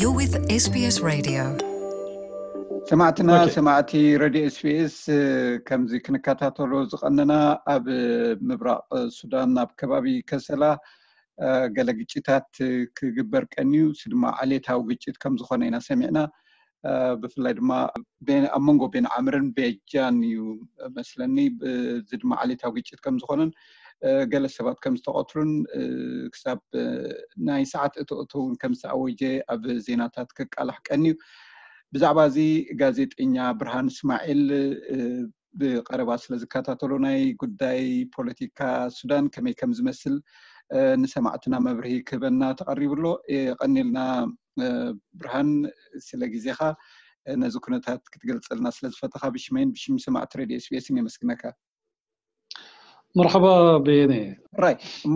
You're with SBS Radio. ሰማዕትና ሰማዕቲ ረድዮ ኤስቢኤስ፣ ከምዚ ክንከታተሎ ዝቐነና፣ ኣብ ምብራቕ ሱዳን ኣብ ከባቢ ከሰላ ገለ ግጭታት ክግበር ቀንዩ፣ እሱ ድማ ዓሌታዊ ግጭት ከም ዝኾነ ኢና ሰሚዕና። ብፍላይ ድማ ኣብ መንጎ ቤንዓምርን ቤጃን እዩ መስለኒ። እዚ ድማ ዓሌታዊ ግጭት ከም ዝኾነን ገለ ሰባት ከም ዝተቐትሉን ክሳብ ናይ ሰዓት እቶ እቶ እውን ከም ዝተኣወጀ ኣብ ዜናታት ክቃላሕ ቀንዩ። ብዛዕባ እዚ ጋዜጠኛ ብርሃን እስማዒል ብቐረባ ስለ ዝከታተሎ፣ ናይ ጉዳይ ፖለቲካ ሱዳን ከመይ ከም ዝመስል ንሰማዕትና መብርሂ ክህበና ተቐሪቡ ኣሎ። የቐኒልና ብርሃን፣ ስለ ግዜኻ፣ ነዚ ኩነታት ክትገልጸልና ስለ ዝፈተኻ ብሽመይን ብሽም ሰማዕቲ ሬድዮ ኤስቢኤስን የመስግነካ። መርሓባ በየነ። ራይ እሞ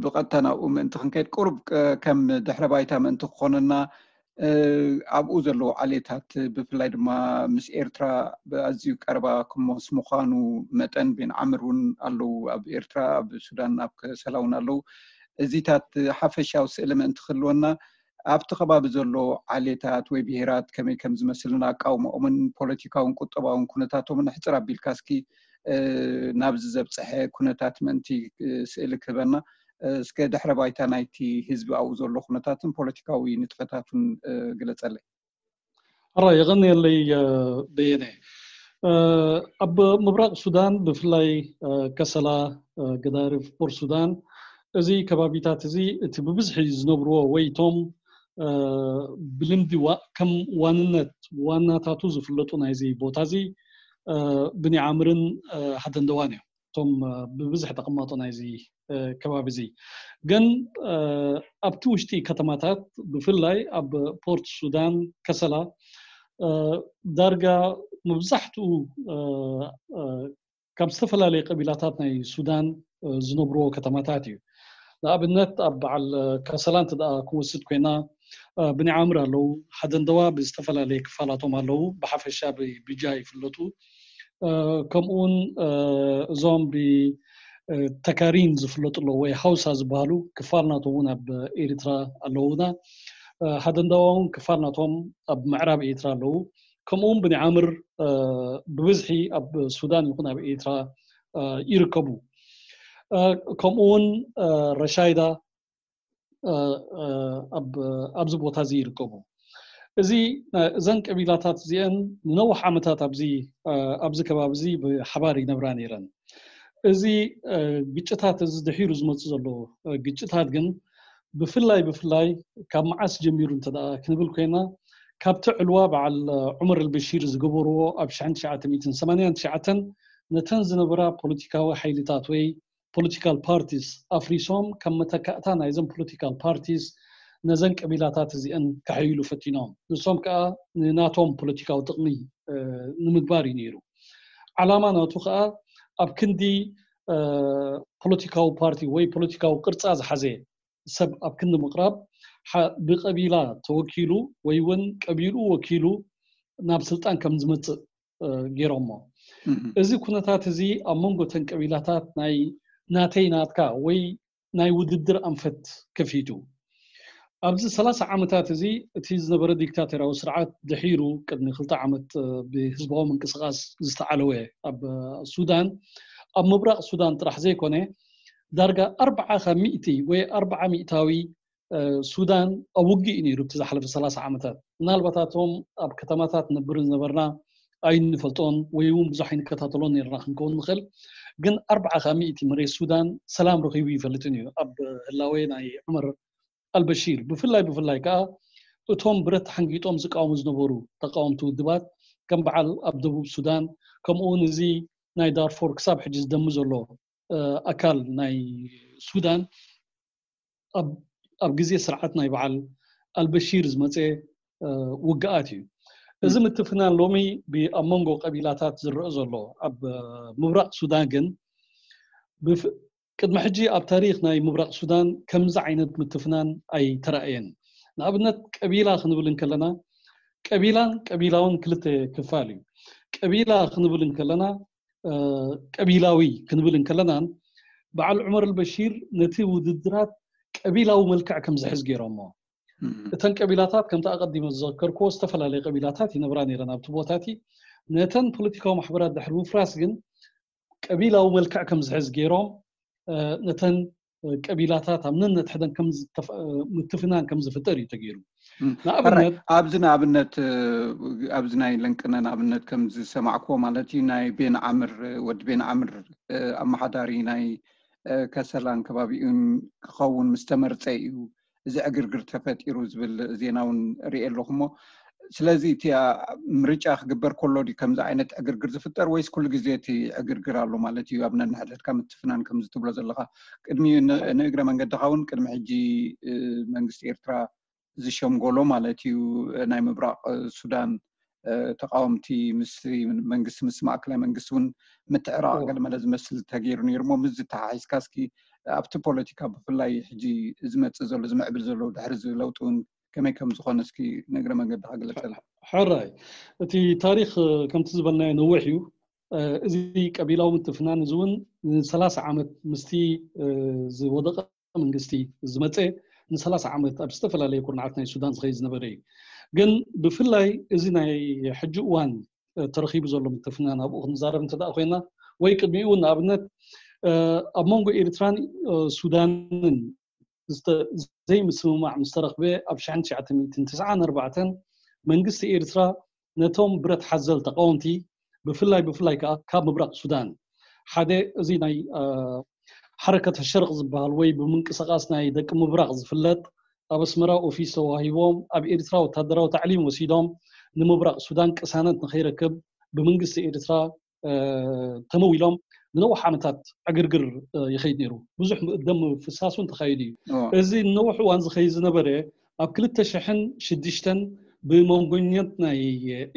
ብቐጥታ ናብኡ ምእንቲ ክንከይድ፣ ቁሩብ ከም ድሕረ ባይታ ምእንቲ ክኾነና፣ ኣብኡ ዘለዉ ዓሌታት፣ ብፍላይ ድማ ምስ ኤርትራ ኣዝዩ ቀረባ ክሞስ ምዃኑ መጠን፣ ቤንዓምር እውን ኣለዉ ኣብ ኤርትራ፣ ኣብ ሱዳን ኣብ ከሰላ እውን ኣለዉ። እዚታት ሓፈሻዊ ስእሊ ምእንቲ ክህልወና፣ ኣብቲ ከባቢ ዘሎ ዓሌታት ወይ ብሄራት ከመይ ከም ዝመስልን ኣቃውማኦምን ፖለቲካውን ቁጠባውን ኩነታቶምን ሕጽር ኣቢልካ እስኪ ናብዚ ዘብፀሐ ኩነታት ምእንቲ ስእሊ ክህበና፣ እስከ ድሕረ ባይታ ናይቲ ህዝቢ ኣብኡ ዘሎ ኩነታትን ፖለቲካዊ ንጥፈታቱን ግለፀለይ። ኣራ የቐንየለይ በየነ። ኣብ ምብራቕ ሱዳን ብፍላይ ከሰላ፣ ገዳሪፍ፣ ፖርት ሱዳን፣ እዚ ከባቢታት እዚ እቲ ብብዝሒ ዝነብርዎ ወይ እቶም ብልምዲ ከም ዋንነት ዋናታቱ ዝፍለጡ ናይዚ ቦታ እዚ ብኒዓምርን ሃደንደዋን እዮም። እቶም ብብዝሒ ተቐማጦ ናይዚ ከባቢ እዚ ግን ኣብቲ ውሽጢ ከተማታት ብፍላይ ኣብ ፖርት ሱዳን ከሰላ ዳርጋ መብዛሕትኡ ካብ ዝተፈላለየ ቀቢላታት ናይ ሱዳን ዝነብርዎ ከተማታት እዩ። ንኣብነት ኣብ በዓል ከሰላ እንተ ደኣ ክንወስድ ኮይና ብኒዓምር ኣለዉ፣ ሃደንደዋ ብዝተፈላለየ ክፋላቶም ኣለዉ፣ ብሓፈሻ ብቢጃ ይፍለጡ። ከምኡውን እዞም ብተካሪን ዝፍለጡ ኣለዉ ወይ ሃውሳ ዝበሃሉ ክፋል ናቶም እውን ኣብ ኤርትራ ኣለዉና። ሃደንደዋ እውን ክፋል ናቶም ኣብ ምዕራብ ኤርትራ ኣለዉ። ከምኡውን ብኒዓምር ብብዝሒ ኣብ ሱዳን ይኹን ኣብ ኤርትራ ይርከቡ። ከምኡውን ረሻይዳ ኣብዚ ቦታ እዚ ይርከቡ። እዚ እዘን ቀቢላታት እዚአን ንነዊሕ ዓመታት ኣብዚ ኣብዚ ከባቢ እዚ ብሓባር ይነብራ ነይረን። እዚ ግጭታት እዚ ድሒሩ ዝመፅእ ዘሎ ግጭታት ግን ብፍላይ ብፍላይ ካብ መዓስ ጀሚሩ እንተ ደኣ ክንብል ኮይና ካብቲ ዕልዋ በዓል ዑመር ኣልበሺር ዝገበርዎ ኣብ ሽሕን ትሽዓተ ሚእትን ሰማንያን ትሽዓተን ነተን ዝነበራ ፖለቲካዊ ሓይልታት ወይ ፖለቲካል ፓርቲስ ኣፍሪሶም ከም መተካእታ ናይዘን ፖለቲካል ፓርቲስ ነዘን ቀቢላታት እዚአን ከሐይሉ ፈቲኖም። ንሶም ከዓ ንናቶም ፖለቲካዊ ጥቕሚ ንምግባር እዩ ነይሩ። ዓላማ ናቱ ከዓ ኣብ ክንዲ ፖለቲካዊ ፓርቲ ወይ ፖለቲካዊ ቅርፃ ዝሓዘ ሰብ ኣብ ክንዲ ምቕራብ ብቀቢላ ተወኪሉ ወይ እውን ቀቢሉ ወኪሉ ናብ ስልጣን ከም ዝመፅእ ገይሮሞ። እዚ ኩነታት እዚ ኣብ መንጎ ተን ቀቢላታት ናይ ናተይ ናትካ ወይ ናይ ውድድር ኣንፈት ከፊቱ። ኣብዚ ሰላሳ ዓመታት እዚ እቲ ዝነበረ ዲክታቶርያዊ ስርዓት ድሒሩ ቅድሚ ክልተ ዓመት ብህዝባዊ ምንቅስቃስ ዝተዓለወ ኣብ ሱዳን ኣብ ምብራቕ ሱዳን ጥራሕ ዘይኮነ ዳርጋ ኣርብዓ ካብ ሚእቲ ወይ ኣርብዓ ሚእታዊ ሱዳን ኣብ ውግእ እዩ ነይሩ እቲ ዝሓለፈ ሰላሳ ዓመታት። ምናልባት ኣቶም ኣብ ከተማታት ነብር ዝነበርና ኣይንፈልጦን ወይ እውን ብዙሕ ኣይንከታተሎን ነርና ክንከውን ንኽእል። ግን ኣርብዓ ካብ ሚእቲ መሬት ሱዳን ሰላም ረኺቡ ይፈልጥን እዩ ኣብ ህላዌ ናይ ዑመር ኣልበሺር። ብፍላይ ብፍላይ ከዓ እቶም ብረት ተሓንጊጦም ዝቃወሙ ዝነበሩ ተቃወምቲ ውድባት ከም በዓል ኣብ ደቡብ ሱዳን ከምኡውን እዚ ናይ ዳርፎር ክሳብ ሕጂ ዝደሚ ዘሎ ኣካል ናይ ሱዳን ኣብ ግዜ ስርዓት ናይ በዓል ኣልበሺር ዝመፀ ውግኣት እዩ። እዚ ምትፍናን ሎሚ ኣብ መንጎ ቀቢላታት ዝረአ ዘሎ ኣብ ምብራቕ ሱዳን ግን ቅድሚ ሕጂ ኣብ ታሪክ ናይ ምብራቕ ሱዳን ከምዚ ዓይነት ምትፍናን ኣይተራእየን። ንኣብነት ቀቢላ ክንብል እንከለና ቀቢላን ቀቢላውን ክልተ ክፋል እዩ። ቀቢላ ክንብል እንከለና ቀቢላዊ ክንብል እንከለናን በዓል ዑመር ኣልበሺር ነቲ ውድድራት ቀቢላዊ መልክዕ ከም ዝሕዝ ገይሮሞ። እተን ቀቢላታት ከምቲ ኣቐዲመ ዝዘከርክዎ ዝተፈላለየ ቀቢላታት ይነብራ ነይረን ኣብቲ ቦታ እቲ። ነተን ፖለቲካዊ ማሕበራት ድሕሪ ምፍራስ ግን ቀቢላዊ መልክዕ ከም ዝሕዝ ገይሮም ነተን ቀቢላታት ኣብ ነንሕደን ምትፍናን ከም ዝፍጠር እዩ ተገይሩ። ንኣብነት ኣብዚ ንኣብነት ኣብዚ ናይ ለንቅነ ንኣብነት ከም ዝሰማዕክዎ ማለት እዩ ናይ ቤን ዓምር ወዲ ቤን ዓምር ኣመሓዳሪ ናይ ከሰላን ከባቢኡን ክኸውን ምስ ተመርፀ እዩ እዚ ዕግርግር ተፈጢሩ ዝብል ዜና እውን ርኤ ኣለኹ። እሞ ስለዚ እቲ ምርጫ ክግበር ከሎ ድዩ ከምዚ ዓይነት ዕግርግር ዝፍጠር ወይስ ኩሉ ግዜ እቲ ዕግርግር ኣሎ ማለት እዩ? ኣብ ነንሕድሕድካ ምትፍናን ከምዚ ትብሎ ዘለኻ ቅድሚ ንእግረ መንገድኻ እውን ቅድሚ ሕጂ መንግስቲ ኤርትራ ዝሸምጎሎ ማለት እዩ ናይ ምብራቕ ሱዳን ተቃወምቲ ምስ መንግስቲ ምስ ማእከላይ መንግስቲ እውን ምትዕራቕ ገለመለ ዝመስል ተገይሩ ነይሩ። እሞ ምስ ዝተሓሒዝካ እስኪ ኣብቲ ፖለቲካ ብፍላይ ሕጂ ዝመፅእ ዘሎ ዝምዕብል ዘሎ ድሕሪ ለውጢ እውን ከመይ ከም ዝኾነ እስኪ ንእግረ መንገድኻ ግለፀልና። ሕራይ እቲ ታሪክ ከምቲ ዝበልናዮ ነዊሕ እዩ። እዚ ቀቢላዊ ምትፍናን እዚ እውን ንሰላሳ ዓመት ምስቲ ዝወደቀ መንግስቲ ዝመፀ ንሰላሳ ዓመት ኣብ ዝተፈላለየ ኩርናዓት ናይ ሱዳን ዝኸይድ ዝነበረ እዩ። ግን ብፍላይ እዚ ናይ ሕጂ እዋን ተረኺቡ ዘሎ ምትፍናን ኣብኡ ክንዛረብ እንተ ኮይና ወይ ቅድሚኡ ንኣብነት ኣብ መንጎ ኤርትራን ሱዳንን ዘይምስምማዕ ምስ ተረኽበ ኣብ ሽሕን ትሽዓተ ሚእትን ትስዓን ኣርባዕተን መንግስቲ ኤርትራ ነቶም ብረት ሓዘል ተቃወምቲ ብፍላይ ብፍላይ ከዓ ካብ ምብራቕ ሱዳን ሓደ እዚ ናይ ሓረከት ሸርቕ ዝበሃል ወይ ብምንቅስቃስ ናይ ደቂ ምብራቕ ዝፍለጥ ኣብ ኣስመራ ኦፊስ ተዋሂቦም ኣብ ኤርትራ ወታደራዊ ታዕሊም ወሲዶም ንምብራቕ ሱዳን ቅሳነት ንኸይረክብ ብመንግስቲ ኤርትራ ተመዊሎም ንነዊሕ ዓመታት ዕግርግር ይኸይድ ነይሩ። ብዙሕ ደም ፍሳስ እውን ተኻይዱ እዩ። እዚ ንነዊሕ እዋን ዝኸይድ ዝነበረ ኣብ ክልተ ሽሕን ሽዱሽተን ብመንጎኛት ናይ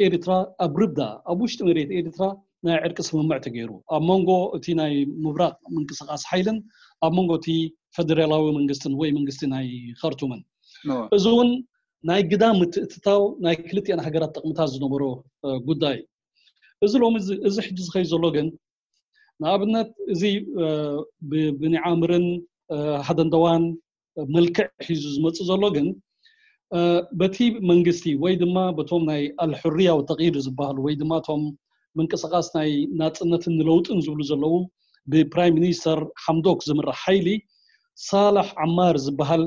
ኤርትራ ኣብ ርብዳ ኣብ ውሽጢ መሬት ኤርትራ ናይ ዕርቂ ስምምዕ ተገይሩ ኣብ መንጎ እቲ ናይ ምብራቕ ምንቅስቃስ ሓይልን ኣብ መንጎ እቲ ፈደራላዊ መንግስትን ወይ መንግስቲ ናይ ኸርቱምን እዚ እውን ናይ ግዳ ምትእትታው ናይ ክልቲአን ሃገራት ጥቕምታት ዝነበሮ ጉዳይ። እዚ ሎሚ እዚ ሕጂ ዝኸይ ዘሎ ግን ንኣብነት እዚ ብኒዓምርን ሃደንደዋን መልክዕ ሒዙ ዝመፅእ ዘሎ ግን በቲ መንግስቲ ወይ ድማ በቶም ናይ ኣልሕርያ ወተቂር ዝበሃሉ ወይ ድማ እቶም ምንቅስቃስ ናይ ናፅነትን ንለውጥን ዝብሉ ዘለዉ ብፕራይም ሚኒስተር ሓምዶክ ዝምራሕ ሓይሊ ሳላሕ ዓማር ዝበሃል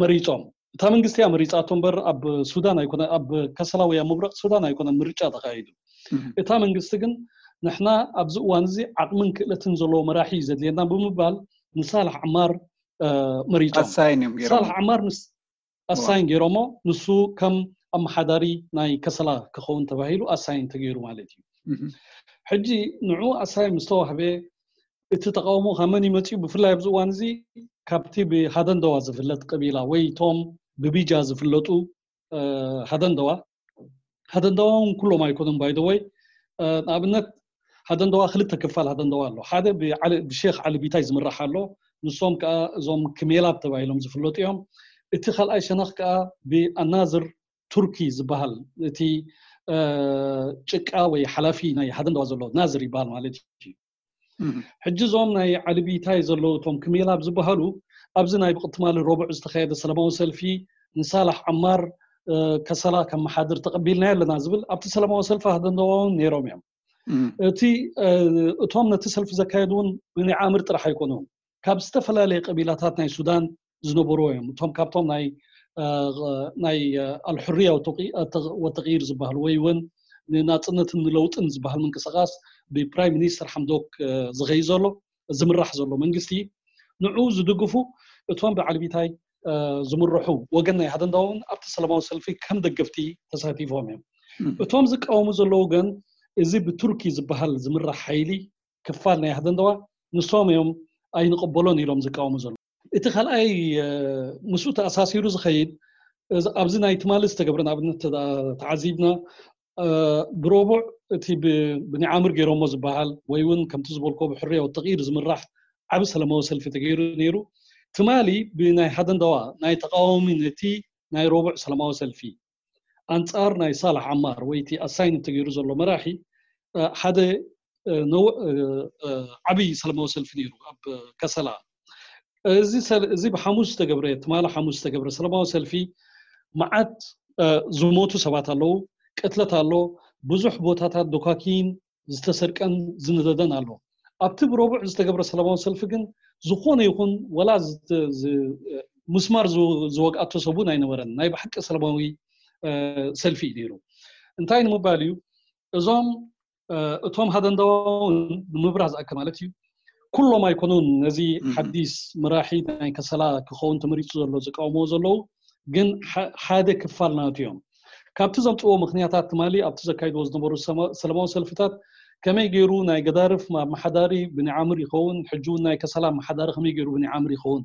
መሪፆም። እታ መንግስቲ እያ መሪፃቶ እምበር ኣብ ሱዳን ኣይኮነ ኣብ ከሰላ ወይ ኣብ ምብራቅ ሱዳን ኣይኮነ ምርጫ ተካይዱ። እታ መንግስቲ ግን ንሕና ኣብዚ እዋን እዚ ዓቅምን ክእለትን ዘለዎ መራሒ እዩ ዘድልየና ብምባል ንሳላሕ ዓማር መሪፆም። ሳላሕ ዓማር ኣሳይን ገይሮሞ ንሱ ከም ኣመሓዳሪ ናይ ከሰላ ክኸውን ተባሂሉ ኣሳይን ተገይሩ ማለት እዩ። ሕጂ ንዑ ኣሳይን ምስ ተዋህበ እቲ ተቃውሞ ካብ መን እዩ መፂኡ? ብፍላይ ኣብዚ እዋን እዚ ካብቲ ብሃደንደዋ ዝፍለጥ ቀቢላ ወይ እቶም ብቢጃ ዝፍለጡ ሃደንደዋ ሃደንደዋ እውን ኩሎም ኣይኮኑን ባይደወይ ንኣብነት ሃደንደዋ ክልተ ክፋል ሃደንደዋ ኣሎ። ሓደ ብሼክ ዓሊ ቢታይ ዝምራሕ ኣሎ። ንሶም ከዓ እዞም ክሜላብ ተባሂሎም ዝፍለጡ እዮም። እቲ ካልኣይ ሸነኽ ከዓ ብኣናዝር ቱርኪ ዝበሃል እቲ ጭቃ ወይ ሓላፊ ናይ ሃደንደዋ ዘሎ ናዝር ይበሃል ማለት እዩ። ሕጂ እዞም ናይ ዓሊ ቢታይ ዘለዉ እቶም ክሜላብ ዝበሃሉ ኣብዚ ናይ ብቅትማሊ ረቡዕ ዝተካየደ ሰላማዊ ሰልፊ ንሳላሕ ዓማር ከሰላ ከመሓድር ተቐቢልናዮ ኣለና ዝብል ኣብቲ ሰላማዊ ሰልፊ ሃደንደዋ እውን ነይሮም እዮም። እቲ እቶም ነቲ ሰልፊ ዘካየዱ እውን ብኒ ዓምር ጥራሕ ኣይኮኑን። ካብ ዝተፈላለየ ቀቢላታት ናይ ሱዳን ዝነበሩ እዮም። እቶም ካብቶም ናይ ናይ ኣልሕርያ ወተቂር ዝበሃል ወይ እውን ንናፅነትን ንለውጥን ዝበሃል ምንቅስቃስ ብፕራይም ሚኒስተር ሓምዶክ ዝኸይ ዘሎ ዝምራሕ ዘሎ መንግስቲ ንዑ ዝድግፉ እቶም ብዓልቢታይ ዝምርሑ ወገን ናይ ሃደንዳውን ኣብቲ ሰላማዊ ሰልፊ ከም ደገፍቲ ተሳቲፎም እዮም። እቶም ዝቃወሙ ዘለዉ ግን እዚ ብቱርኪ ዝበሃል ዝምራሕ ሓይሊ ክፋል ናይ ሃደንዳዋ ንሶም እዮም ኣይንቕበሎን ኢሎም ዝቃወሙ ዘለዉ። እቲ ካልኣይ ምስኡ ተኣሳሲሩ ዝኸይድ ኣብዚ ናይ ትማሊ ዝተገብረ ንኣብነት ተዓዚብና ብረቡዕ እቲ ብኒዓምር ገይሮሞ ዝበሃል ወይ እውን ከምቲ ዝበልኮ ብሕርያ ወተቂር ዝምራሕ ዓብ ሰላማዊ ሰልፊ ተገይሩ ነይሩ። ትማሊ ብናይ ሃደንዳዋ ናይ ተቃዋሚ ነቲ ናይ ረቡዕ ሰላማዊ ሰልፊ ኣንጻር ናይ ሳላሕ ዓማር ወይ እቲ ኣሳይን ተገይሩ ዘሎ መራሒ ሓደ ዓብይ ሰላማዊ ሰልፊ ነይሩ ኣብ ከሰላ። እዚ ሰል- እዚ ብሓሙስ ዝተገብረ ትማሊ ሓሙስ ዝተገብረ ሰላማዊ ሰልፊ መዓት ዝሞቱ ሰባት ኣለዉ፣ ቅትለት ኣሎ፣ ብዙሕ ቦታታት ዶካኪን ዝተሰርቀን ዝነደደን ኣሎ። ኣብቲ ብረቡዕ ዝተገብረ ሰላማዊ ሰልፊ ግን ዝኾነ ይኹን ወላ ምስማር ዝወግኣቶ ሰቡን ኣይነበረን። ናይ ብሓቂ ሰላማዊ ሰልፊ እዩ ነይሩ። እንታይ ንምባል እዩ? እዞም እቶም ሃደንዳውን ንምብራህ ዝኣክል ማለት እዩ፣ ኩሎም ኣይኮኑን ነዚ ሓዲስ መራሒ ናይ ከሰላ ክኸውን ተመሪፁ ዘሎ ዝቃወምዎ ዘለዉ፣ ግን ሓደ ክፋል ናቱ እዮም። ካብቲ ዘምፅዎ ምክንያታት ትማሊ ኣብቲ ዘካይድዎ ዝነበሩ ሰላማዊ ሰልፍታት ከመይ ገይሩ ናይ ገዳርፍ ኣመሓዳሪ ብንዓምር ይኸውን፣ ሕጂ እውን ናይ ከሰላ ኣመሓዳሪ ከመይ ገይሩ ብንዓምር ይኸውን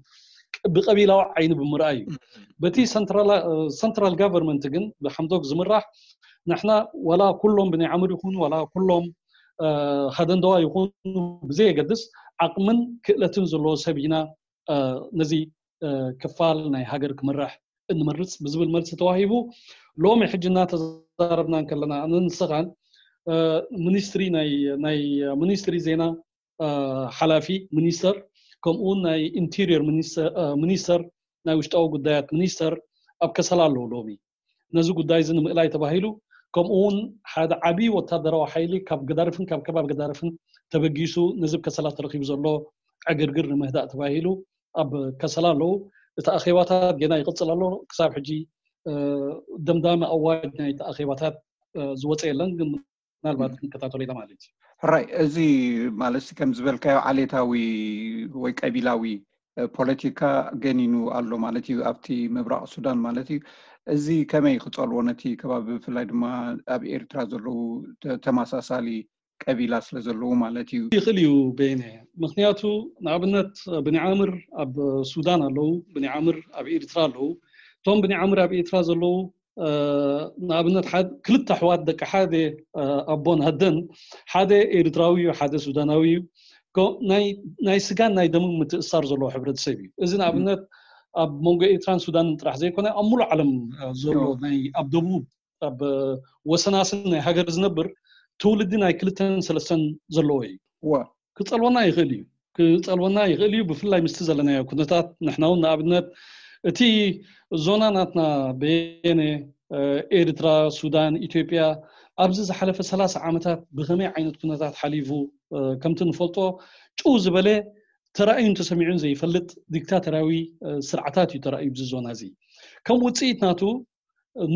ብቀቢላዊ ዓይኒ ብምርኣይ እዩ። በቲ ሰንትራል ጋቨርንመንት ግን ብሓምዶክ ዝምራሕ ንሕና ዋላ ኩሎም ብንዓምር ይኹኑ ዋላ ኩሎም ሃደንደዋ ይኹኑ ብዘየገድስ ዓቕምን ክእለትን ዘለዎ ሰብ ኢና ነዚ ክፋል ናይ ሃገር ክምራሕ እንመርፅ ብዝብል መልሲ ተዋሂቡ። ሎሚ ሕጂ እናተዛረብና እንከለና ኣነ ንስኻን ሚኒስትሪ ናይ ሚኒስትሪ ዜና ሓላፊ ሚኒስተር ከምኡውን ናይ ኢንቴሪየር ሚኒስተር ናይ ውሽጣዊ ጉዳያት ሚኒስተር ኣብ ከሰላ ኣለዉ። ሎሚ ነዚ ጉዳይ እዚ ንምእላይ ተባሂሉ ከምኡውን ሓደ ዓብዪ ወታደራዊ ሓይሊ ካብ ገዳርፍን ካብ ከባቢ ገዳርፍን ተበጊሱ ነዚ ከሰላ ተረኪቡ ዘሎ ዕግርግር ንምህዳእ ተባሂሉ ኣብ ከሰላ ኣለዉ። እቲ ኣኼባታት ገና ይቕፅል ኣሎ። ክሳብ ሕጂ ደምዳሚ ኣዋጅ ናይቲ ኣኼባታት ዝወፀ የለን፣ ግን ምናልባት ክንከታተሎ ኢና ማለት እዩ። ሕራይ፣ እዚ ማለት ከም ዝበልካዮ ዓሌታዊ ወይ ቀቢላዊ ፖለቲካ ገኒኑ ኣሎ ማለት እዩ ኣብቲ ምብራቕ ሱዳን ማለት እዩ። እዚ ከመይ ክፀልዎ ነቲ ከባቢ ብፍላይ ድማ ኣብ ኤርትራ ዘለዉ ተመሳሳሊ ቀቢላ ስለ ዘለዉ ማለት እዩ። ይኽእል እዩ በይነ። ምክንያቱ ንኣብነት ብኒዓምር ኣብ ሱዳን ኣለዉ፣ ብኒዓምር ኣብ ኤርትራ ኣለዉ። እቶም ብኒዓምር ኣብ ኤርትራ ዘለዉ ንኣብነት ክልተ ኣሕዋት ደቂ ሓደ ኣቦን ኣደን፣ ሓደ ኤርትራዊ እዩ ሓደ ሱዳናዊ እዩ። ናይ ስጋን ናይ ደምን ምትእሳር ዘለዎ ሕብረተሰብ እዩ። እዚ ንኣብነት ኣብ መንጎ ኤርትራን ሱዳንን ጥራሕ ዘይኮነ ኣብ ሙሉእ ዓለም ዘሎ ናይ ኣብ ደቡብ ኣብ ወሰናስን ናይ ሃገር ዝነብር ትውልዲ ናይ ክልተን ሰለስተን ዘለዎ እዩ። ክፀልወና ይኽእል እዩ ክፀልወና ይኽእል እዩ ብፍላይ ምስቲ ዘለናዮ ኩነታት። ንሕና እውን ንኣብነት እቲ ዞና ናትና በየነ ኤርትራ፣ ሱዳን፣ ኢትዮጵያ ኣብዚ ዝሓለፈ ሰላሳ ዓመታት ብኸመይ ዓይነት ኩነታት ሓሊፉ ከምቲ ንፈልጦ ጭው ዝበለ ተራእዩን ተሰሚዑን ዘይፈልጥ ዲክታተራዊ ስርዓታት እዩ ተራእዩ ብዚ ዞና እዚ። ከም ውፅኢት ናቱ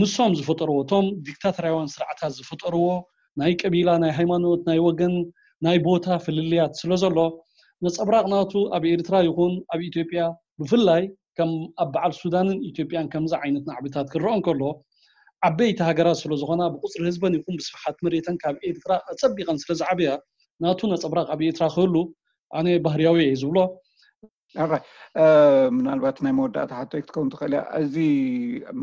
ንሶም ዝፈጠርዎ እቶም ዲክታተራውያን ስርዓታት ዝፈጠርዎ ናይ ቀቢላ ናይ ሃይማኖት ናይ ወገን ናይ ቦታ ፍልልያት ስለ ዘሎ ነፀብራቕ ናቱ ኣብ ኤርትራ ይኹን ኣብ ኢትዮጵያ ብፍላይ ከም ኣብ በዓል ሱዳንን ኢትዮጵያን ከምዚ ዓይነት ናዕብታት ክረኦ እንከሎ ዓበይቲ ሃገራት ስለ ዝኾና ብቁፅሪ ህዝበን ይኹን ብስፍሓት መሬተን ካብ ኤርትራ ኣፀቢቐን ስለ ዝዓብያ ናቱ ነፀብራቕ ኣብ ኤርትራ ክህሉ ኣነ ባህርያዊ እየ ዝብሎ። ምናልባት ናይ መወዳእታ ሕቶይ ክትከውን ትኽእል እያ። እዚ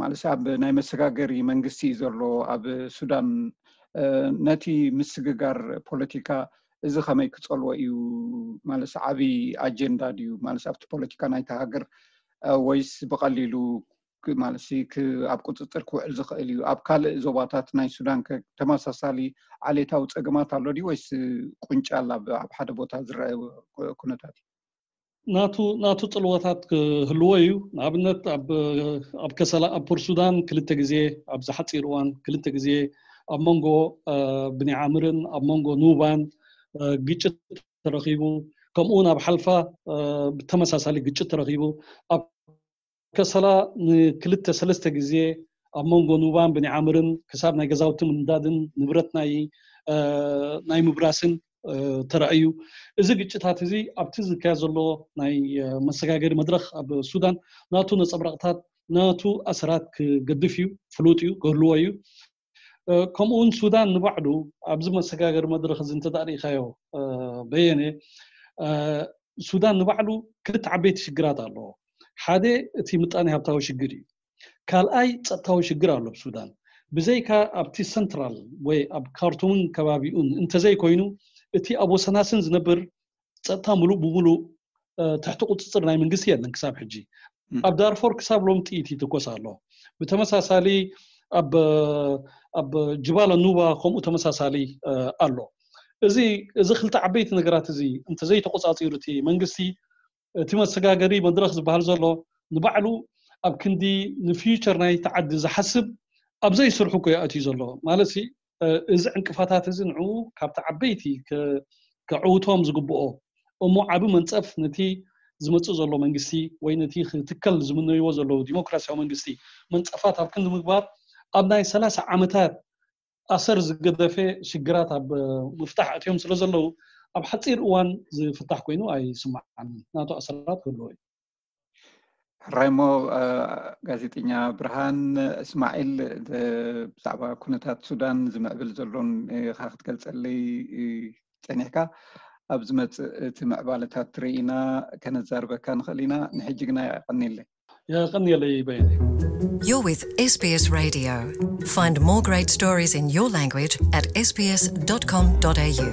ማለት ኣብ ናይ መሰጋገሪ መንግስቲ እዩ ዘሎ ኣብ ሱዳን። ነቲ ምስግጋር ፖለቲካ እዚ ከመይ ክፀልዎ እዩ? ማለት ዓብዪ ኣጀንዳ ድዩ? ማለት ኣብቲ ፖለቲካ ናይቲ ሃገር ወይስ ብቐሊሉ ማለት ኣብ ቁፅፅር ክውዕል ዝኽእል እዩ? ኣብ ካልእ ዞባታት ናይ ሱዳን ተመሳሳሊ ዓሌታዊ ፀገማት ኣሎ ድዩ ወይስ ቁንጫል ኣብ ሓደ ቦታ ዝረአ ኩነታት እዩ? ናቱ ናቱ ፅልወታት ክህልዎ እዩ። ንኣብነት ኣብ ከሰላ ኣብ ፖርት ሱዳን ክልተ ግዜ ኣብዚ ሓፂር እዋን ክልተ ግዜ ኣብ መንጎ ብኒዓምርን ኣብ መንጎ ኑባን ግጭት ተረኺቡ፣ ከምኡ እውን ኣብ ሓልፋ ብተመሳሳሊ ግጭት ተረኺቡ ኣብ ከሰላ ንክልተ ሰለስተ ግዜ ኣብ መንጎ ኑባን ብኒዓምርን ክሳብ ናይ ገዛውቲ ምንዳድን ንብረት ናይ ናይ ምብራስን ተራእዩ። እዚ ግጭታት እዚ ኣብቲ ዝካየድ ዘሎ ናይ መሰጋገሪ መድረኽ ኣብ ሱዳን ናቱ ነፀብራቕታት ናቱ ኣሰራት ክገድፍ እዩ፣ ፍሉጥ እዩ፣ ክህልዎ እዩ። ከምኡ እውን ሱዳን ንባዕሉ ኣብዚ መሰጋገሪ መድረኽ እዚ እንተዳ ርኢኻዮ በየነ ሱዳን ንባዕሉ ክልተ ዓበይቲ ሽግራት ኣለዎ። ሓደ እቲ ምጣኔ ሃብታዊ ሽግር እዩ። ካልኣይ ፀጥታዊ ሽግር ኣሎ ኣብ ሱዳን። ብዘይካ ኣብቲ ሰንትራል ወይ ኣብ ካርቱምን ከባቢኡን እንተዘይኮይኑ እቲ ኣብ ወሰናስን ዝነብር ፀጥታ ሙሉእ ብሙሉእ ትሕቲ ቁፅፅር ናይ መንግስቲ የለን ክሳብ ሕጂ። ኣብ ዳርፎር ክሳብ ሎም ጥይት ይትኮስ ኣሎ። ብተመሳሳሊ ኣብ ጅባለ ኑባ ከምኡ ተመሳሳሊ ኣሎ። እዚ እዚ ክልተ ዓበይቲ ነገራት እዚ እንተዘይተቆፃፂሩ እቲ መንግስቲ እቲ መሰጋገሪ መድረኽ ዝበሃል ዘሎ ንባዕሉ ኣብ ክንዲ ንፊውቸር ናይ ተዓዲ ዝሓስብ ኣብ ዘይስርሑ እኮ ይኣትዩ ዘሎ ማለት እዚ ዕንቅፋታት እዚ ንዑ ካብቲ ዓበይቲ ከዕውቶም ዝግብኦ እሞ ዓቢ መንጸፍ ነቲ ዝመጽእ ዘሎ መንግስቲ ወይ ነቲ ክትከል ዝምነይዎ ዘለዉ ዲሞክራሲያዊ መንግስቲ መንጸፋት ኣብ ክንዲ ምግባር ኣብ ናይ ሰላሳ ዓመታት ኣሰር ዝገደፈ ሽግራት ኣብ ምፍታሕ ኣትዮም ስለ ዘለዉ ኣብ ሓፂር እዋን ዝፍታሕ ኮይኑ ኣይስማዓን። ናቱ ኣሰራት ክህልዎ እዩ። ሕራይሞ ጋዜጠኛ ብርሃን እስማዒል፣ ብዛዕባ ኩነታት ሱዳን ዝምዕብል ዘሎን ኢኻ ክትገልጸለይ ጸኒሕካ። ኣብ ዝመጽእ እቲ ምዕባለታት ርኢና ከነዛርበካ ንኽእል ኢና። ንሕጂ ግና የቐንየለይ። የቐንየለይ በየነ። You're with S B S Radio. Find more great stories in your language at S B S dot com dot A U.